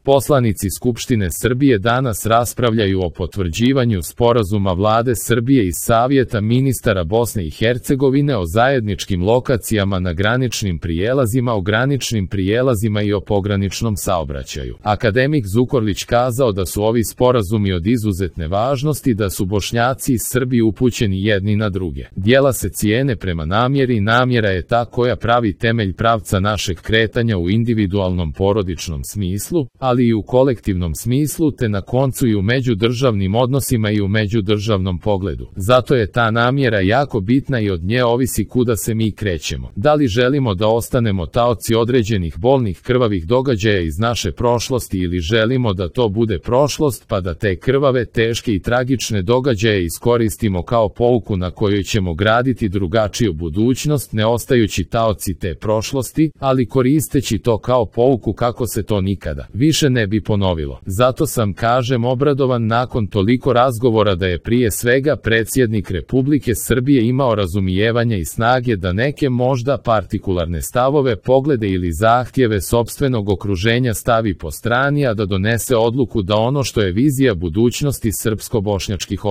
Poslanici Skupštine Srbije danas raspravljaju o potvrđivanju sporazuma Vlade Srbije i Savjeta ministara Bosne i Hercegovine o zajedničkim lokacijama na graničnim prijelazima, o graničnim prijelazima i o pograničnom saobraćaju. Akademik Zukorlić kazao da su ovi sporazumi od izuzetne važnosti, da su Bošnjaci i Srbi upućeni jedni na druge. Djela se cijene prema namjeri, namjera je ta koja pravi temelj pravca našeg kretanja u individualnom porodičnom smislu, ali i u kolektivnom smislu, te na koncu i u međudržavnim odnosima i u međudržavnom pogledu. Zato je ta namjera jako bitna i od nje ovisi kuda se mi krećemo. Da li želimo da ostanemo taoci određenih bolnih krvavih događaja iz naše prošlosti ili želimo da to bude prošlost pa da te krvave, teške i tragične događaje iskoristimo kao pouku na kojoj ćemo graditi drugačiju budućnost, ne ostajući taoci te prošlosti, ali koristeći to kao pouku kako se to nikada više ne bi ponovilo. Zato sam, kažem, obradovan nakon toliko razgovora da je prije svega predsjednik Republike Srbije imao razumijevanja i snage da neke možda partikularne stavove, poglede ili zahtjeve sopstvenog okruženja stavi po strani, a da donese odluku da ono što je vizija budućnosti srpsko-bošnjačkih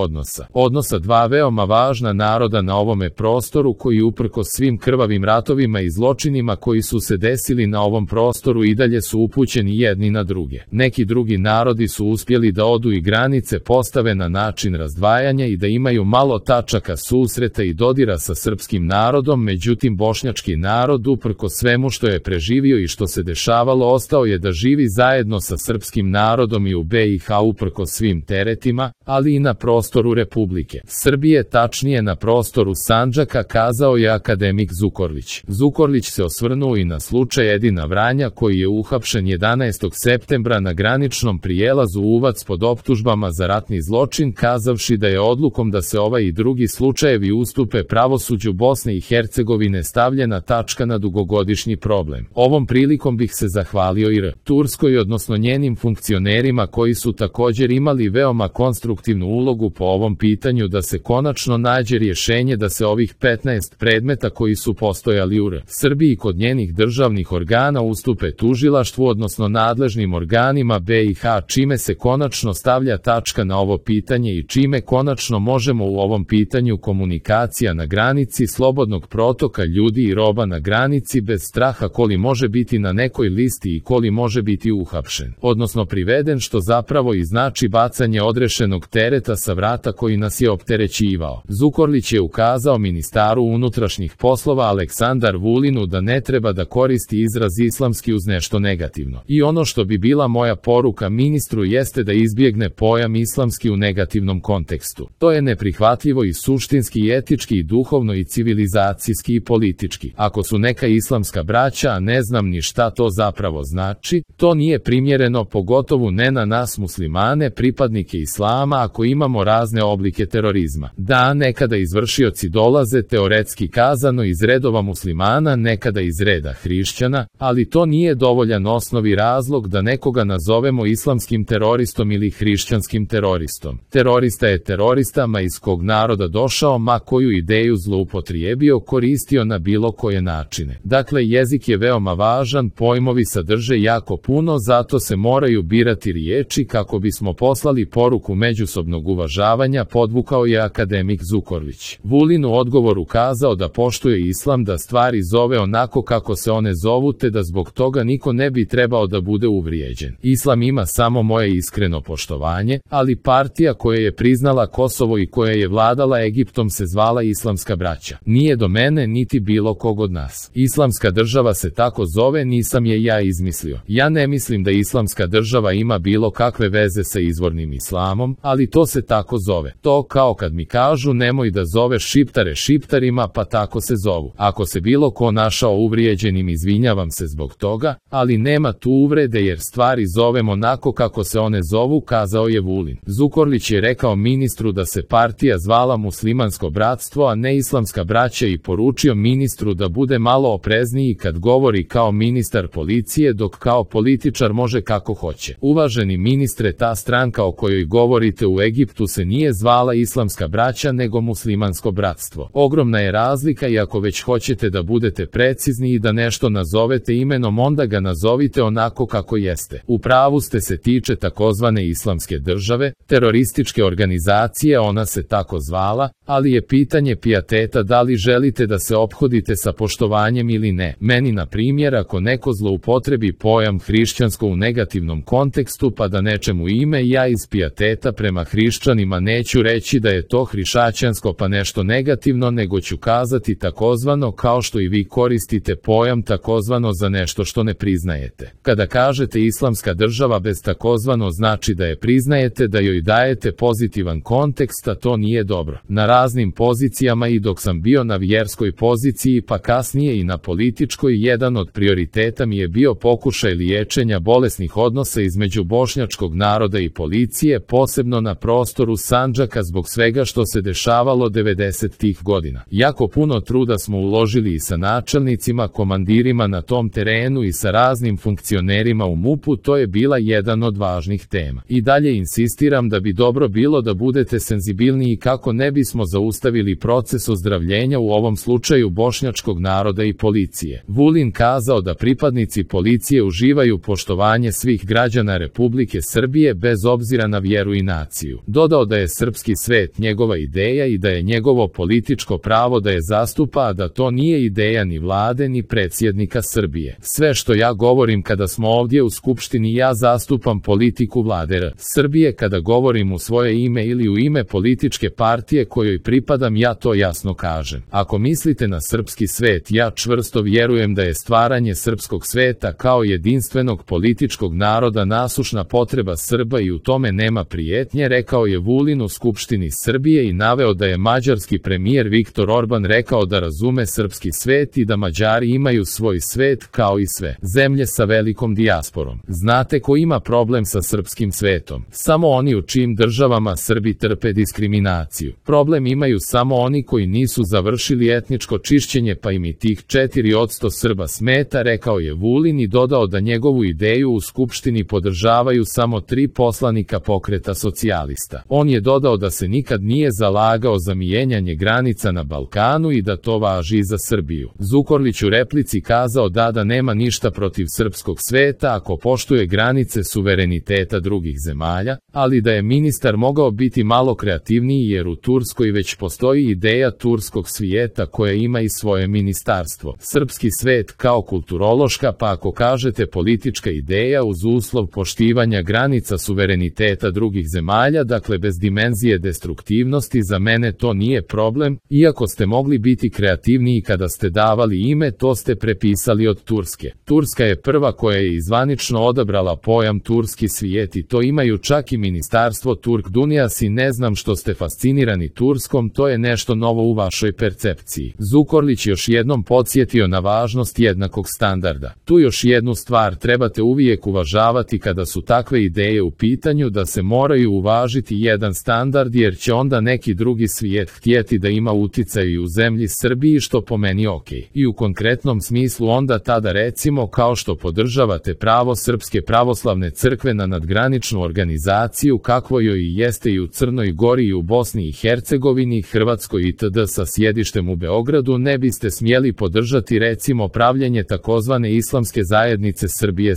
odnosa dva veoma važna naroda na ovome prostoru koji uprkos svim krvavim ratovima i zločinima koji su se desili na ovom prostoru i dalje su upućeni jedni na druge. Neki drugi narodi su uspjeli da odu i granice postave na način razdvajanja i da imaju malo tačaka susreta i dodira sa srpskim narodom, međutim bošnjački narod uprkos svemu što je preživio i što se dešavalo ostao je da živi zajedno sa srpskim narodom i u BiH uprkos svim teretima, ali i na prostoru Republike Srbije, tačnije na prostoru Sandžaka, kazao je akademik Zukorlić. Zukorlić se osvrnuo i na slučaj Edina Vranja koji je uhapšen 11. septembra na graničnom prijelazu Uvac pod optužbama za ratni zločin, kazavši da je odlukom da se ovaj i drugi slučajevi ustupe pravosuđu Bosne i Hercegovine stavljena tačka na dugogodišnji problem. Ovom prilikom bih se zahvalio i Turskoj, odnosno njenim funkcionerima koji su također imali veoma konstruktivnu ulogu po ovom pitanju da se konačno nađe rješenje da se ovih 15 predmeta koji su postojali u Srbiji kod njenih državnih organa ustupe tužilaštvu, odnosno nadležnim organima BiH, čime se konačno stavlja tačka na ovo pitanje i čime konačno možemo u ovom pitanju komunikacija na granici, slobodnog protoka ljudi i roba na granici bez straha koli može biti na nekoj listi i koli može biti uhapšen, odnosno priveden, što zapravo i znači bacanje odrešenog tereta sa vrata koji nas je opterećivao. Zukorlić je ukazao ministaru unutrašnjih poslova Aleksandar Vulinu da ne treba da koristi izraz islamski uz nešto negativno. I ono što bi bila moja poruka ministru jeste da izbjegne pojam islamski u negativnom kontekstu. To je neprihvatljivo i suštinski i etički i duhovno i civilizacijski i politički. Ako su neka islamska braća, a ne znam ni šta to zapravo znači, to nije primjereno, pogotovo ne na nas muslimane, pripadnike islama, ako imamo razne oblike terorizma. Da, nekada izvršioci dolaze, teoretski kazano, iz redova muslimana, nekada iz reda hrišćana, ali to nije dovoljan osnovi razlog da nekoga nazovemo islamskim teroristom ili hrišćanskim teroristom. Terorista je terorista, ma iz kog naroda došao, ma koju ideju zloupotrijebio, koristio na bilo koje načine. Dakle, jezik je veoma važan, pojmovi sadrže jako puno, zato se moraju birati riječi kako bismo poslali poruku međusobnog uvažavanja, podvukao je akademik Zukorlić. Vulin u odgovoru kazao da poštuje islam, da stvari zove onako kako se one zovu, te da zbog toga niko ne bi trebao da bude uvrijeđen. Islam ima samo moje iskreno poštovanje, ali partija koja je priznala Kosovo i koja je vladala Egiptom se zvala Islamska braća. Nije do mene niti bilo kog od nas. Islamska država se tako zove, nisam je ja izmislio. Ja ne mislim da Islamska država ima bilo kakve veze sa izvornim islamom, ali to se tako zove. To kao kad mi kažu nemoj da zoveš Šiptare Šiptarima, pa tako se zovu. Ako se bilo ko našao uvrijeđenim, izvinjavam se zbog toga, ali nema tu uvrede jer stvari zovemo onako kako se one zovu, kazao je Vulin. Zukorlić je rekao ministru da se partija zvala Muslimansko bratstvo, a ne Islamska braća, i poručio ministru da bude malo oprezniji kad govori kao ministar policije, dok kao političar može kako hoće. Uvaženi ministre, ta stranka o kojoj govorite u Egiptu se nije zvala Islamska braća nego Muslimansko bratstvo. Ogromna je razlika i ako već hoćete da budete precizni i da nešto nazovete imenom, onda ga nazovite onako kako jeste. Jeste, u pravu ste, se tiče takozvane islamske države, terorističke organizacije, ona se tako zvala, ali je pitanje pijeteta da li želite da se ophodite sa poštovanjem ili ne. Meni, na primjer, ako neko zloupotrebi pojam hrišćansko u negativnom kontekstu pa da nečemu ime, ja iz pijeteta prema hrišćanima neću reći da je to hrišćansko pa nešto negativno, nego ću kazati takozvano, kao što i vi koristite pojam takozvano za nešto što ne priznajete. Kada kažete islamska država bez takozvano, znači da je priznajete, da joj dajete pozitivan kontekst, a to nije dobro. Na raznim pozicijama i dok sam bio na vjerskoj poziciji pa kasnije i na političkoj, jedan od prioriteta mi je bio pokušaj liječenja bolesnih odnosa između bošnjačkog naroda i policije, posebno na prostoru Sandžaka zbog svega što se dešavalo 90-ih godina. Jako puno truda smo uložili i sa načelnicima, komandirima na tom terenu i sa raznim funkcionerima u MUP-u, to je bila jedan od važnih tema. I dalje insistiram da bi dobro bilo da budete senzibilniji kako ne bismo zaustavili proces ozdravljenja u ovom slučaju bošnjačkog naroda i policije. Vulin kazao da pripadnici policije uživaju poštovanje svih građana Republike Srbije bez obzira na vjeru i naciju. Dodao da je srpski svet njegova ideja i da je njegovo političko pravo da je zastupa, a da to nije ideja ni vlade ni predsjednika Srbije. Sve što ja govorim kada smo ovdje u Skupštini, ja zastupam politiku vlade Srbije. Kada govorim u svoje ime ili u ime političke partije kojoj pripadam, ja to jasno kažem. Ako mislite na srpski svet, ja čvrsto vjerujem da je stvaranje srpskog sveta kao jedinstvenog političkog naroda nasušna potreba Srba i u tome nema prijetnje, rekao je Vulin u Skupštini Srbije i naveo da je mađarski premijer Viktor Orban rekao da razume srpski svet i da Mađari imaju svoj svet kao i sve zemlje sa velikom dijasporom. Znate ko ima problem sa srpskim svetom? Samo oni u čijim državama Srbi trpe diskriminaciju. Problem imaju samo oni koji nisu završili etničko čišćenje, pa im i tih 4% Srba smeta, rekao je Vulin i dodao da njegovu ideju u Skupštini podržavaju samo 3 poslanika Pokreta socijalista. On je dodao da se nikad nije zalagao za mijenjanje granica na Balkanu i da to važi i za Srbiju. Zukorlić u replici kazao da nema ništa protiv srpskog sveta ako poštuje granice suvereniteta drugih zemalja, ali da je ministar mogao biti malo kreativniji jer u Turskoj već postoji ideja turskog svijeta koja ima i svoje ministarstvo. Srpski svet kao kulturološka, pa ako kažete politička ideja uz uslov poštivanja granica suvereniteta drugih zemalja, dakle bez dimenzije destruktivnosti, za mene to nije problem, iako ste mogli biti kreativniji kada ste davali ime, to ste prepisali od Turske. Turska je prva koja je izvanično odabrala pojam turski svijet i to imaju čak i ministarstvo Turk Dunijas i ne znam što ste fascinirani Turskom, to je nešto novo u vašoj percepciji. Zukorlić još jednom podsjetio na važnost jednakog standarda. Tu još jednu stvar trebate uvijek uvažavati kada su takve ideje u pitanju, da se moraju uvažiti jedan standard jer će onda neki drugi svijet htjeti da ima uticaj i u zemlji Srbiji, što po meni ok. I u konkretnom smislu onda tada recimo kao što podržavate pravo Srpske pravoslavne crkve na nadgraničnu organizaciju kakvo joj i jeste i u Crnoj Gori i u Bosni i Hercegovini, Hrvatskoj itd. sa sjedištem u Beogradu, ne biste smjeli podržati recimo pravljenje takozvane islamske zajednice Srbije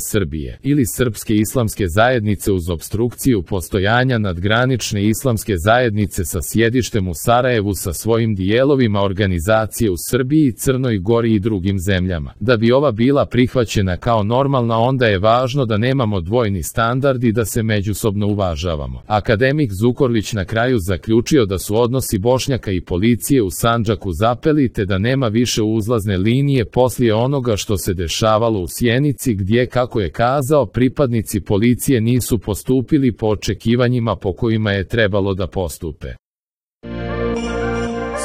ili Srpske islamske zajednice uz opstrukciju postojanja nadgranične islamske zajednice sa sjedištem u Sarajevu sa svojim dijelovima organizacije u Srbiji, Crnoj Gori i drugim zemljama. Da bi ova bila prihvaćena kao normalna, onda je važno da nemamo dvojni standard i da se međusobno uvažavamo. Akademik Zukorlić na kraju zaključio da su odnosi Bošnjaka i policije u Sandžaku zapeli te da nema više uzlazne linije poslije onoga što se dešavalo u Sjenici gdje, kako je kazao, pripadnici policije nisu postupili po očekivanjima po kojima je trebalo da postupe.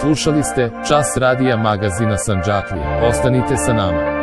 Slušali ste Čas radija magazina Sandžaklije. Ostanite sa nama.